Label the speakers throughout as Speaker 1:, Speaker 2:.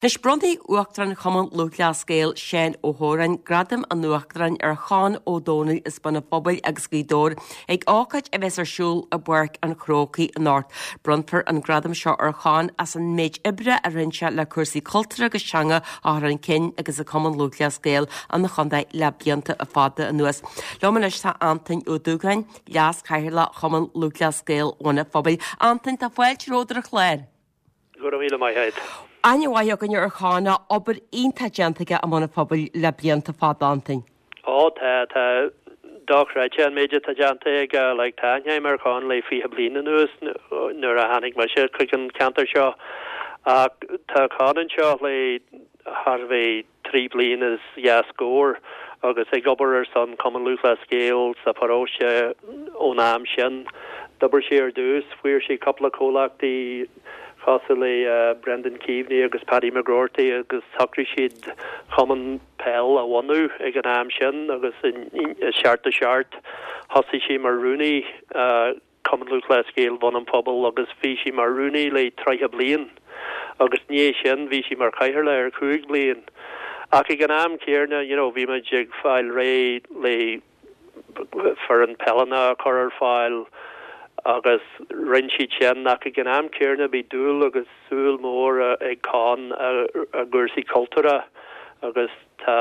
Speaker 1: Anois, bronnfaidh Uachtarán Chumann Lúthchleas Gael, Seán Ó hÓráin, Gradam an Uachtaráin ar Chonn Ó Domhnaill as Bun an Phobail agus Gaoth Dobhair ag ócáid a bheas ar siúl i bPáirc an Chrócaigh anocht. Bronnfar an gradam seo ar Chonn as an méid oibre a rinne sé le cúrsaí cultúrtha agus teanga a chur chun cinn agus ag Cumann Lúthchleas Gael an chontae le blianta fada anuas. Liom anois tá Antoin Ó Dúgáin, Leas-Chathaoirleach Chumann Lúthchleas Gael Bhun an Phobail. Antoin, tá fáilte romhat ar an chlár.
Speaker 2: Go raibh míle maith agat.
Speaker 1: Aithne mhaith againne ar Chonn, obair iontach déanta aige i mBun an Phobail le blianta fada, Antoin.
Speaker 2: Ó tá, tá dochreidte an méid atá déanta aige, like tá aithne agam ar Chonn le 20 bliain anuas nuair a tháinig mise chuig an ceantar seo ach tá Conn anseo le thar a bheith 3 bliana is dhá scór agus ag obair ar son Cumann Lúthchleas Gael sa pharóiste ón am sin. D'oibir sé ar dtús, fuair sé cúpla comhlachtaí cosúil le Brendan Keaveney agus Paddy McGroarty agus shocraigh siad cumann peil a bhunú ag an am sin agus i 77 thosaigh sé mar rúnaí. Cumann Lúthchleas Gael Bhun an Phobail agus bhí sé mar rúnaí le 30 bliain agus i ndiaidh sin bhí sé mar chathaoirleach ar chúig bliain. Ach ag an am céarna you know bhí muid ag fáil réidh le foireann peileanna a chur ar fáil agus rinn siad sin ach ag an am céarna bhí dúil agus súil mór ag Conn i gcúrsaí cultúrtha agus tá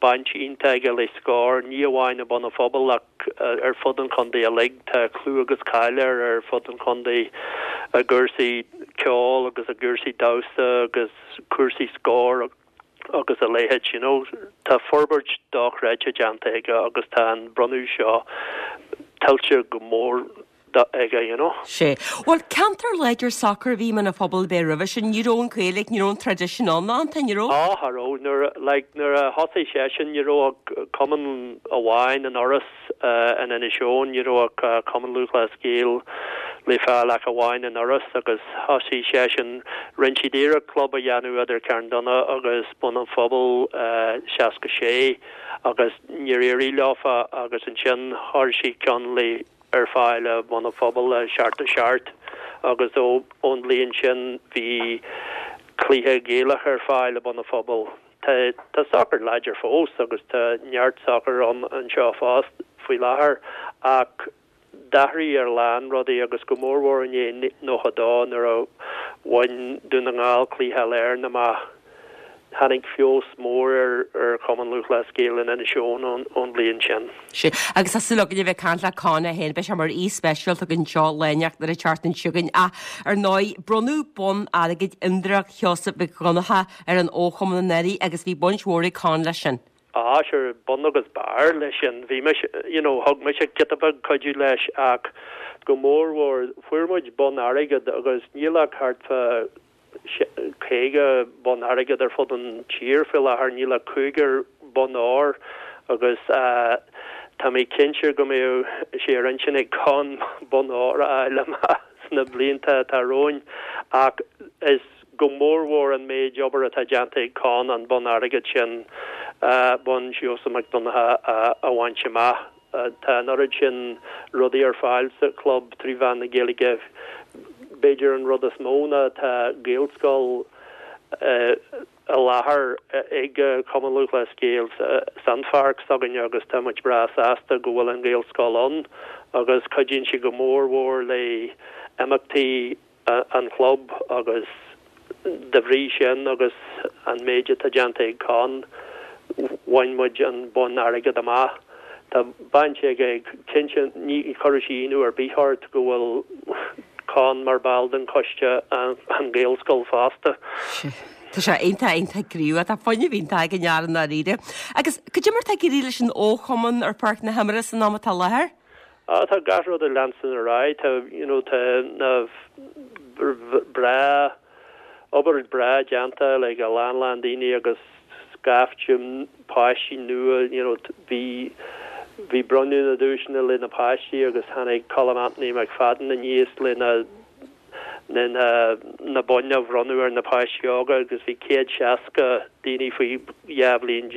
Speaker 2: baint iontach aige le Scór, ní amháin i mBun an Phobail ach ar fud an chontae uilig. Tá clú agus cáil air ar fud an chontae i gcúrsaí ceoil agus i gcúrsaí damhsa agus cúrsaí Scór agus a leithéid, you know. Tá forbairt dochreidte déanta aige agus tá an bronnadh seo tuillte go mór aige, you know.
Speaker 1: Sea. Bhuel, ceantar láidir sacair a bhí i mBun an Phobail ab ea roimhe sin. Ní raibh an Ghaeilge, ní raibh an traidisiún ann, Antoin, ní raibh?
Speaker 2: Á, cha raibh. Nuair, like, nuair a thosaigh seisean, ní raibh ach cumann amháin in Iorras, in Inis Eoghain, ní raibh ach Cumann Lúthchleas Gael le fáil ach amháin in Iorras agus thosaigh seisean, rinne siad iarracht club a dhéanamh idir Carndonagh agus Bun an Phobail, 66 agus níor éirigh leofa agus ansin chuir siad ceann le ar fáil i mBun an Phobail i 77 agus ón bhliain sin bhí cluiche Gaelach ar fáil i mBun an Phobail. Tá tá sacar láidir fós agus tá neart sacair ann anseo fós faoi láthair ach d'athraigh a lán rudaí agus go mórmhór i ndiaidh 92 nuair a bhain Dún na nGall cluiche Uile-Éireann amach. Tháinig feabhas mór ar Chumann Lúthchleas Gael in Inis Eoghain ón bhliain sin.
Speaker 1: Sea, agus tá súil againn a bheith ag caint le Conn é féin, beidh sé mar aoi speisialta againn anseo lá inteacht ar an tseachtain seo chugainn. Ach, ar ndóigh, bronnadh bonn airgid Imdhreach Sheosaimh Mhic Dhonncha ar an fhochumann anuraidh agus bhí baint mhór ag Conn leis sin.
Speaker 2: Ah, sure, bun agus barr leis sin. Bhí mise, you know, thug mise giota beag cuidiú leis ach go mórmhór, fuair muid bonn airgid agus níl ach thart fá 50 bonn airgid ar fud an tír faoi láthair, níl ach cúigear bonn óir agus tá mé cinnte go mbeadh sé ar intinn ag Conn bonn óir a fháil amach sna blianta atá romhainn ach is go mórmhór an méid obair atá déanta ag Conn an bonn airgid sin, bonn Sheosaimh Mac Donncha a bhaint amach. Tá an oiread sin rudaí ar fáil sa chlub trí mheán na Gaeilge. B'fhéidir an rud is mó ná tá Gaelscoil i láthair ag Cumann Lúthchleas Gael san pháirc s'againne agus tá muid breá sásta go bhfuil an Ghaelscoil ann agus cuidíonn sé go mór mhór le imeachtaí an chlub agus de bhrí sin agus an méid atá déanta ag Conn, bhain muid an bonn airgid amach. Tá baint aige, cinnte, ní chuirfeadh sé ionadh ar bith ort go bhfuil Conn mar ball den choiste an Ghaelscoil fosta.
Speaker 1: Tá sé iontach, iontach gníomhach. Tá fuinneamh iontach ag an fhear i ndáiríre. Agus cad é mar atá ag éirí leis an fhochumann ar pháirc na himeartha san am atá i láthair?
Speaker 2: Ah tá gach rud ag leanstan ar aghaidh, tá you know tá na breá, obair breá déanta like a lán lán daoine agus scaifte páistí nua you know bhí bhí bronnadh na duaiseanna le na páistí agus tháinig Colm Anthony McFadden aníos le na na na na boinn a bhronnadh ar na páistí óga agus bhí 160 daoine faoi 12 bhliain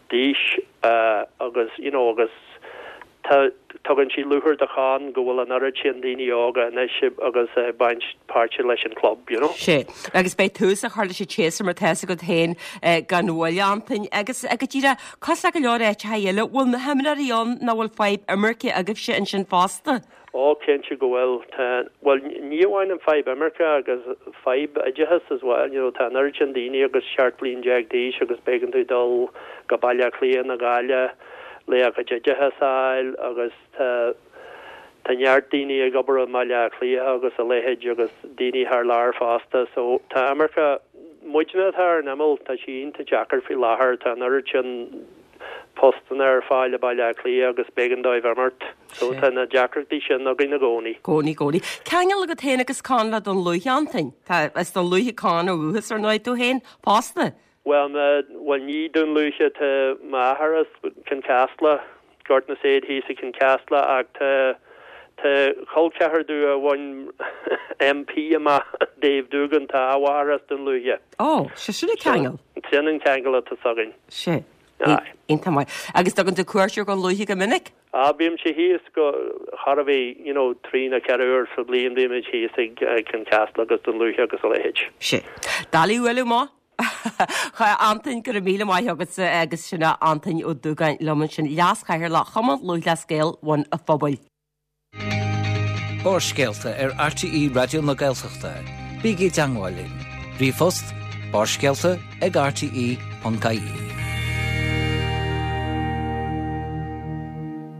Speaker 2: d'aois agus you know agus tá. Tugann sé lúcháir do Chon go bhfuil an oiread sin daoine óga anois agus ag baint páirte leis an club, you know.
Speaker 1: Sea. Agus beidh tús á chur leis an tséasúr mar tá's agat féin gan mhoill, Antain. Agus go díreach, cosúil le go leor áiteacha eile, bhfuil na himreoirí ann nó bhfuil fadhb imirce agaibhse ansin fosta?
Speaker 2: Ó, cinnte go bhfuil. Tá, bhuel, ní amháin an fadhb imirce agus fadhb oideachais as well, you know, tá an oiread sin daoine agus 17 bliain d'aois agus b'éigean dóibh dul go Baile Átha Cliath nó Gaillimh le a gcuid oideachas a fháil agus tá, tá neart daoine ag obair i mBaile Átha Cliath agus a leithéid agus daoine thar lear fosta so tá imirce, muidne atá ar an imeall, tá sé iontach deacair faoi láthair, tá an oiread sin postanna ar fáil i Baile Átha Cliath agus b'éigean dóibh imeacht. So tá na deacrachtaí sin againn i gcónaí.
Speaker 1: Gcónaí, gcónaí. Ceangal agat féin agus Con le Dún Lúiche, Antain? Tá, as Dún Lúiche Con ó dhúchas ar ndóigh, tú féin fosta?
Speaker 2: Bhuel, na, bhuel ní Dún Lúiche, tá m'athair as Cionn Caslach, Gort na Said thíos i Cionn Caslach ach tá, tá col ceathar domh a bhain MP amach, Dave Doogan, tá a mháthair as Dún Lúiche.
Speaker 1: Ó, sé sin an ceangal.
Speaker 2: Sin an ceangal atá s'againn.
Speaker 1: Sea. Aye. Iontach maith. Agus dtugann tú cuairt ar Dhún Lúiche go minic?
Speaker 2: Ah, bímse thíos go, chóir a bheith, you know, trí nó ceithre uair sa bhliain bímid thíos ag Cionn Caslach agus Dún Lúiche agus a leithéid.
Speaker 1: Sea. Doiligh a bhualadh amach. A Antain, go raibh míle maith agatsa agus sin é Antain Ó Dúgáin liom ansin, Leas-Chathaoirleach Chumann Lúthchleas Gael Bhun an Phobail.
Speaker 3: Barrscéalta ar RTÉ Raidió na Gaeltachta. Bígí i dteangmháil linn. Ríomhphost, barrscéalta ag rte.ie.